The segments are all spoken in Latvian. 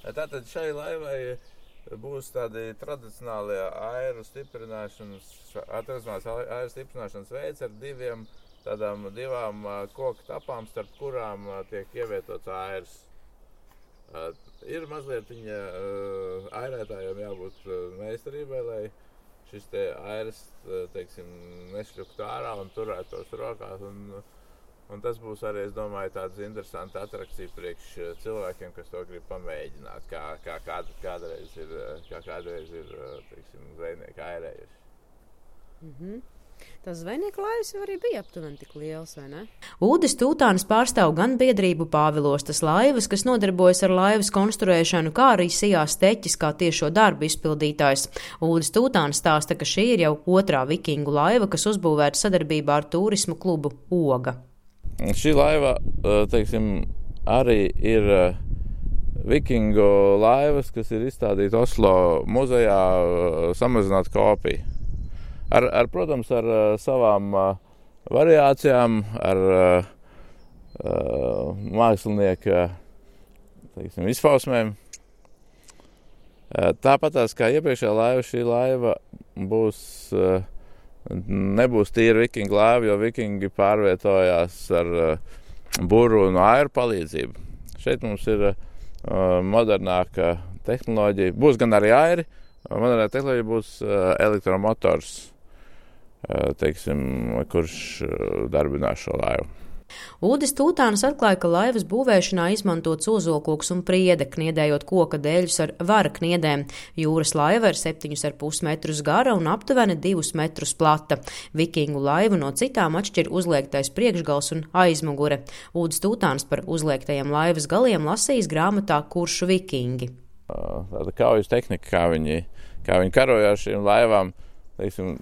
Tātad šai laivai būs tādi tradicionālie airu stiprināšanas veids ar divām koku tapām, starp kurām tiek ievietots airs. Ir mazliet viņa airētājiem jābūt meistarībai, lai šis te airs, teiksim, nešļuktu ārā un turētos rokās. Un tas būs arī, es domāju, tāds interesants atrakcija priekš cilvēkiem, kas to grib pamēģināt, kā kādreiz ir, teiksim, zvejnieki airējuši. Tas zvejnieku laivas jau arī bija aptuveni tik liels, vai ne? Ulris Tūtāns pārstāv gan biedrību Pāvilostas laivas, kas nodarbojas ar laivas konstruēšanu, kā arī Sijās Teķis kā tiešo darbu izpildītājs. Ulris Tūtāns stāsta, ka šī ir jau otrā vikingu laiva, kas uzbūvēta sadarbībā ar turismu klubu Oga. Šī laiva, teiksim, arī ir vikingu laivas, kas ir izstādīta Oslo muzejā, samazināt kopiju. Protams, ar savām variācijām, ar mākslinieka, teiksim, izpausmēm. Tāpatās kā iepriekšējā laiva, šī laiva nebūs tīra vikingu laiva, jo vikingi pārvietojās ar buru un airu palīdzību. Šeit mums ir modernāka tehnoloģija. Būs gan arī airi, modernā tehnoloģija būs elektromotors, teiksim, kurš darbinās šo laivu. Ulris Tūtāns atklāja, ka laivas būvēšanā izmantots ozolkoks un priede, kniedējot koka dēļus ar vara kniedēm. Jūras laiva ir 7,5 metrus gara un aptuveni 2 metrus plata. Vikingu laivu no citām atšķir uzliektais priekšgals un aizmugure. Ulris Tūtāns par uzliektajiem laivas galiem lasījis grāmatā Kuršu vikingi. Tāda kaujas tehnika, kā viņi karoja ar šīm laivām, teiksim,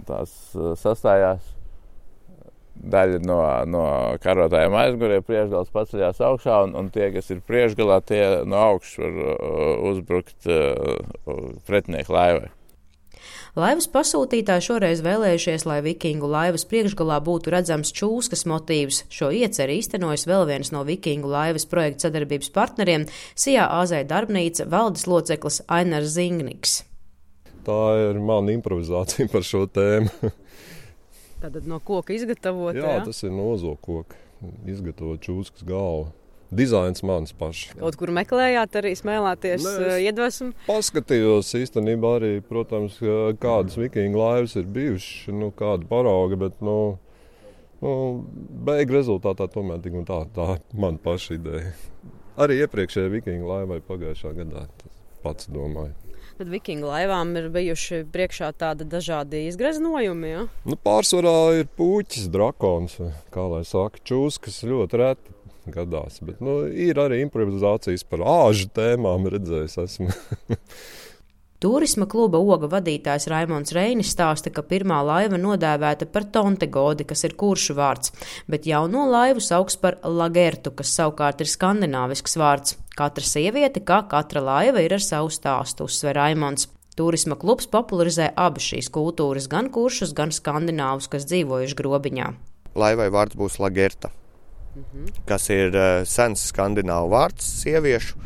tās sastājās daļa no karotājiem aizmugurē, priekšgals paceļās augšā, un tie, kas ir priekšgalā, tie no augšas var uzbrukt pretinieku laivai. Laivas pasūtītāji šoreiz vēlējušies, lai vikingu laivas priekšgalā būtu redzams čūskas motīvs. Šo ieceri īstenojas vēl viens no vikingu laivas projekta sadarbības partneriem – Sijā AZ darbnīca valdes loceklis Ainars Zingniks. Tā ir mana improvizācija par šo tēmu. Tātad no koka izgatavot, jā? Tas ir no ozolkoka. Izgatavot čūskas galvu. Dizains mans pašs. Kaut kur meklējāt arī smēlēties iedvesmu? Paskatījos īstenībā arī, protams, kādas vikingu laivas ir bijušas, kāda parauga, bet, beigu rezultātā tomēr tik un tā man paša ideja. Arī iepriekšējā vikingu laivai pagājušā gadā, tas pats domāju. Tad vikingu laivām ir bijuši priekšā tādi dažādi izgreznojumi, ja? Pārsvarā ir puķis, drakons, kā lai saka, čūskas ļoti reti gadās, bet ir arī improvizācijas par āžu tēmām, redzējis esmu. Turisma kluba Oga vadītājs Raimonds Reinis stāsta, ka pirmā laiva nodēvēta par Tontegodi, kas ir kuršu vārds, bet jauno laivu sauks par Lagertu, kas savukārt ir skandināvisks vārds. Katra sieviete, kā katra laiva, ir ar savu stāstu, uzsver Raimonds. Turisma klubs popularizē abas šīs kultūras, gan kuršus, gan skandināvus, kas dzīvojuši grobiņā. Laivai vārds būs Lagerta, kas ir sens skandināvu vārds sieviešu,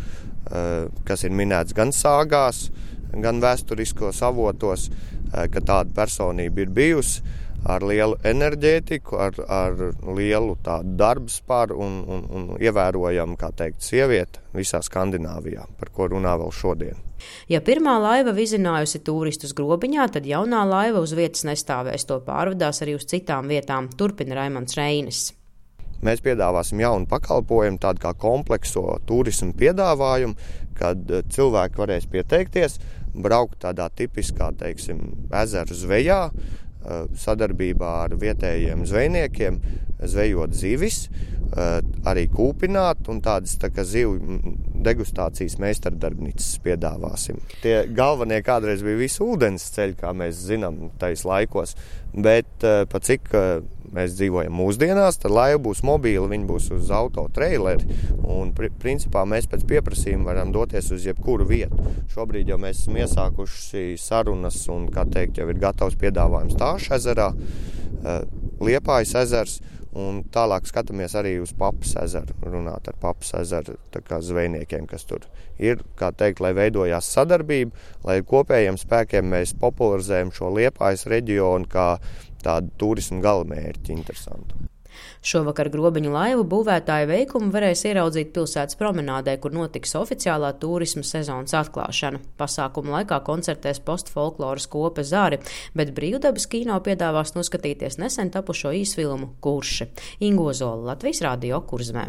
kas ir minēts gan sāgās, gan vēsturiskos avotos, ka tāda personība ir bijusi ar lielu enerģētiku, ar lielu tādu darbspāru un ievērojamu, kā teikt, sievieti visā Skandināvijā, par ko runā vēl šodien. Ja pirmā laiva vizinājusi turistus grobiņā, tad jaunā laiva uz vietas nestāvēs, to pārvadās arī uz citām vietām, turpina Raimonds Reinis. Mēs piedāvāsim jaunu pakalpojumu, tādu kā komplekso turismu piedāvājumu, kad cilvēki varēs pieteikties, braukt tādā tipiskā, teiksim, ezeru zvejā, sadarbībā ar vietējiem zvejniekiem, zvejot zivis, arī kūpināt un tādas tā kā zivju degustācijas meistardarbnīcas piedāvāsim. Tie galvenie kādreiz bija visi ūdens ceļi, kā mēs zinām tais laikos, bet pa cik mēs dzīvojam mūsdienās, tad laiva būs mobīla, viņa būs uz autotreileri un principā mēs pēc pieprasījuma varam doties uz jebkuru vietu. Šobrīd jau mēs esam iesākuši sarunas un, kā teikt, jau ir gatavs piedāvājums Tāšu ezerā, Liepājas ezers Un tālāk skatāmies arī uz Papas ezeru, runāt ar Papas ezeru zvejniekiem, kas tur ir, kā teikt, lai veidojās sadarbība, lai kopējiem spēkiem mēs popularizējam šo Liepājas reģionu kā tādu turismu galamērķi interesantu. Šovakar grobiņu laivu būvētāju veikumu varēs ieraudzīt pilsētas promenādē, kur notiks oficiālā turisma sezonas atklāšana. Pasākuma laikā koncertēs postfolkloras kopa Zari, bet Brīvdabas kino piedāvās noskatīties nesen tapušo īsfilmu Kurši. Inga Ozola, Latvijas Radio, Kurzemē.